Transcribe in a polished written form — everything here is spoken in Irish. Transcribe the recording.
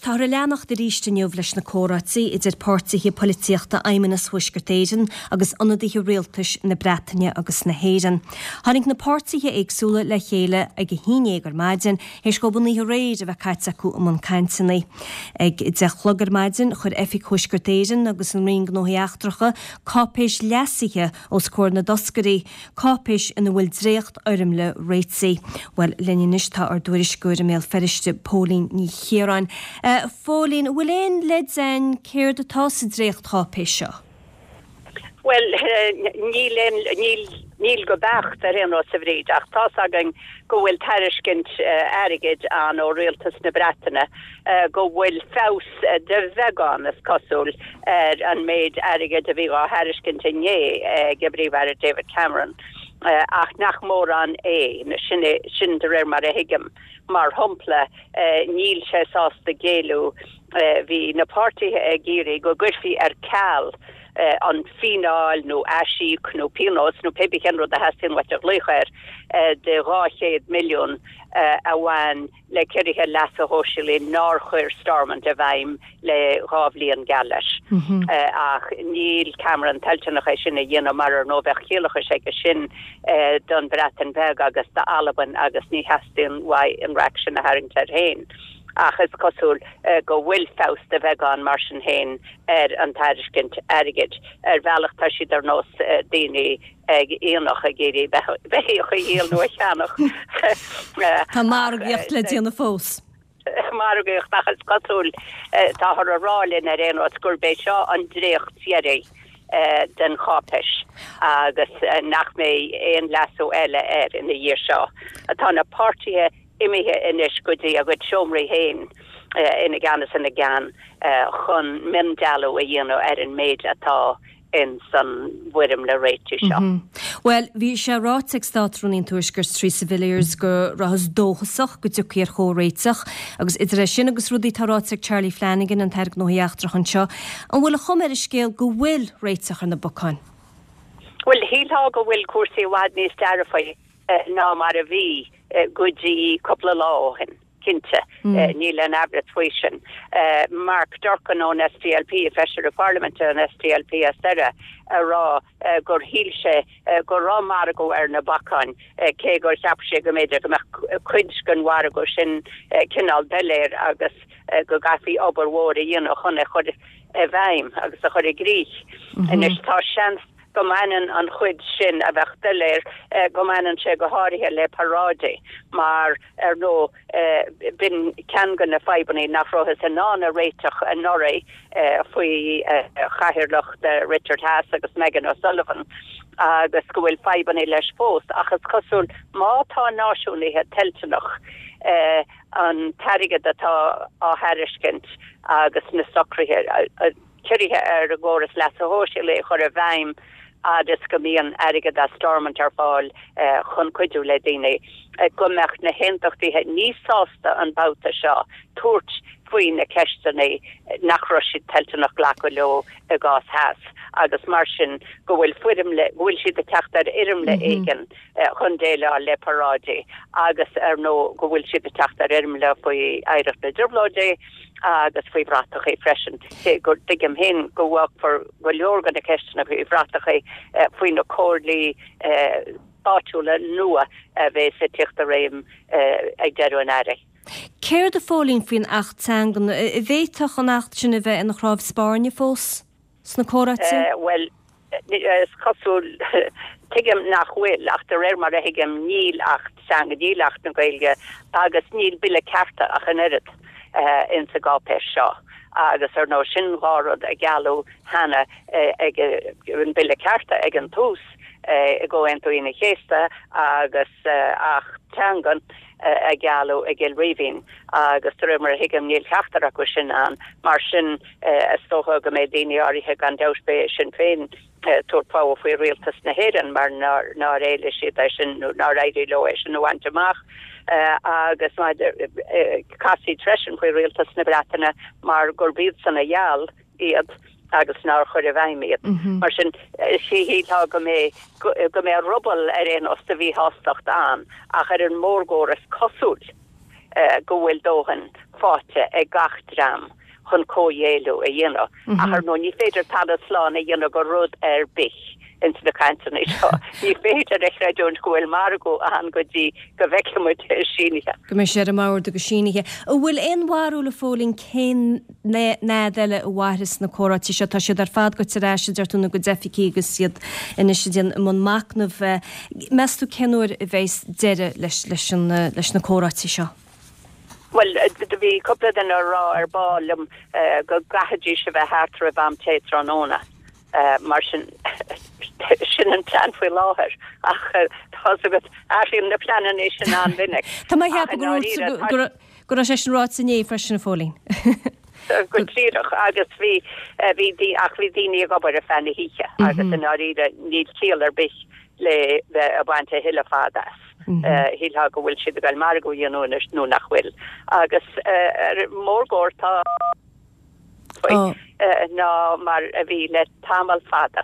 táthar ag leanacht arís inniu leis na comhráití idir páirtithe poilitíochta Fheidhmeannas Thuaisceart Éireann agus ionadaithe rialtais na Breataine agus na hÉireann. Tháinig na páirtithe éagsúla le chéile ag a haon dhéag ar maidin, théis dhóibh an oíche aréir a bheith caite acu i mbun cainteanna. Ag a deich a chlog ar maidin, chuir Oifig Thuaisceart Éireann agus an Roinn Gnóthaí Eachtracha cáipéis leasaithe os comhair na dtoscairí, cáipéis ina bhfuil dréachtfhoirmle réitigh. Bhuel, linn anois tá ár dtuairisceoir i mBéal Feirste, Póilín Ní Chiaráin. A Phóilín, an bhfuil aon leid againn céard atá sa dréachtcháipéis seo? Bhuel, níl aon, níl, níl go beacht ar aon nós a Bhríd, ach tá's againn go bhfuil tairiscint airgid ann ó Rialtas na Breataine go bhfuil feabhas de bheagán, is cosúil, ar an méid airgid a bhí dhá thairiscint inné ag an bPríomh-Aire David Cameron, ach nach mórán é. Sin é, sin de réir mar a thuigim. Mar shampla, níl sé sásta géilleadh, bhí na páirtithe ag iarraidh go gcuirfí ar ceal an fíneáil nó aisíoc nó pionós nó pé bith cén rud a theastaíonn uait a ghlaoch air de 200 milliún a bhain le ciorruithe leasa shóisialaigh nár chuir Stormont i bhfeidhm le 2 bhliain geall leis. Ach níl Cameron toilteanach é sin a dhéanamh mar ar ndóigh bheadh ciallachais aige sin don Bhreatain Bheag agus d'Albain agus ní theastaíonn uaidh an raic sin a tharraingt air féin. Ach is cosúil go bhfuil feabhas de bheagán mar sin féin ar an tairiscint airgid. Ar bhealach tá siad ar nós daoine ag aonach ag iarraidh beithíoch a dhíol nó a cheannach. Tá margaíocht le déanamh fós. Margaíocht ach is cosúil, táthar a rá linn ar aon nós, gurb é seo an dréacht deiridh den cháipéis agus nach mbeidh aon leasú eile air ina dhiaidh seo. Tá na páirtithe imithe anois go dtí a gcuid seomraí féin ina gceann is ina gceann chun miondealú a dhéanamh ar an méid atá in san bhfoirmle réitigh seo. Bhuel, bhí sé ráite ag Státrúnaí an Tuaiscirt, Theresa Villiers, go rabhthas dóchasach go dtiocfaí ar chomhréiteach, agus idir é sin agus rudaí atá ráite ag Charlie Flanagan, an tAire Gnóthaí Eachtracha anseo, an bhfuil an chuma ar an scéal go bhfuil réiteach ar na bacáin? Bhuel, shílfeá go bhfuil cúrsaí i bhfad níos dearfaí ná mar a bhí go dtí cúpla lá ó shin. Cinnte, níl aon amhras faoi sin. Mark Durkan ón SDLP, Feisire Parlaiminte an SDLP as Doire, a rá gur shíl sé go raibh margadh ar na bacáin, cé gur cheap sé go mb'fhéidir go mbeadh cuid den mhargadh sin cineál doiléir agus go gcaithfí obair mhór a dhéanamh chun é chur i bhfeidhm agus a chur i gcrích. Anois tá seans go mbaineann an chuid sin a bheadh doiléir, go mbaineann sé go háirithe le paráidí mar, ar ndóigh, b'in ceann de na fadhbanna nach rabhthas in ann a réiteach anuraidh faoi chathaoirleacht Richard Haass agus Megan O'Sullivan agus go bhfuil fadhbanna leis fós. Ach is cosúil má tá náisiúnaithe toilteanach an t-airgead atá á thairiscint agus na socruithe, ciorruithe ar an gcóras leasa shóisialaigh a chur i bhfeidhm fhad is go mbíonn airgead as Stormont ar fáil chun cuidiú le daoine, go mbeadh na hAontachtaithe níos sásta an babhta seo tabhairt faoi na ceisteanna nach raibh siad toilteanach glacadh leo i gcás Haass agus mar sin go bhfuil foirmle, go bhfuil siad ag teacht ar fhoirmle éigin chun déileáil le paráidí agus ar ndóigh go bhfuil siad ag teacht ar fhoirmle faoi oidhreacht na dTrioblóidí agus faoi bhratachaí freisin. Cé go dtuigim féin go bhfágfar go leor de na ceisteanna faoi bhratachaí faoi na comhairlí áitiúla nua a bheas ag tíocht i réim ag deireadh an earraigh. Céard a Phóilín faoin Acht Teangan? An bhféadfadh an Acht sin a bheith ina chnámh spairne fós? sna comhráite? Bhuel, is cosúil, tuigim nach bhfuil, ach de réir mar a thuigim níl Acht Teanga, níl Acht na Gaeilge agus níl Bille Cearta ach an oiread ins an gcáipéis seo. Agus ar ndóigh sin dhá rud a gealladh cheana ag an Bille Cearta ag an tús i gComhaontú Aoine an Chéasta agus Acht Teangan a gealladh i gCill Rímhinn agus de réir mar a thuigim níl ceachtar acu sin ann. Mar sin is dócha go mbeidh daoine áirithe, gan dabht beidh Sinn Féin ag tabhairt fogha faoi rialtas na hÉireann mar nár éiligh siad é sin nó nár éirigh leo é sin a bhaint amach agus casfaidh siad freisin faoi rialtas na Breataine mar gurb iadsan a gheall iad agus nár chuir i bhfeidhm iad. Mar sin, shílfeá go mbeidh go mbeidh ruball ar aon nós de mhíshástacht ann ach ar an mórgóir is cosúil. go bhfuil dóthain faighte ag gach dream chun comhghéilleadh a dhéanamh. Ach ar ndóigh ní féidir talamh slán a dhéanamh de rud ar bith ins na cainteanna seo. Ní féidir a chreidiúint go bhfuil margadh ann go dtí go bhfeicfidh muid é sínithe. Go mbeidh sé ar an mbord agus sínithe. An bhfuil aon bharúil, a Phóilín, cén fhad eile a mhairfeas na comhráití seo? Tá siad ar fad goite ar ais, a deir tú, ina gcuid oifigí agus iad anois ag déanamh i mbun machnaimh. Meas tú cén uair a bheas deireadh leis leis na comhráití seo? Bhuel, do bhí cúpla duine ag rá ar ball liom go gcaithfidís a bheith thart roimh am tae tráthnóna. Mar sin, sin an plean faoi láthair. Ach tá's agat, athraíonn na pleananna sin an-mhinic. Tá mé ag ceapadh go go raibh sé sin ráite inné freisin, a Phóilín. Go díreach, agus bhí, bhí, ach bhí daoine ag obair ar feadh na hoíche agus i ndáiríre níl ciall ar bith le bheith ag baint a thuilleadh fada as. Shílfeá go bhfuil siad ag goil margadh a dhéanamh anois nó nach bhfuil. Agus ar mórgóir tá faoi ná mar a bhí le tamall fada.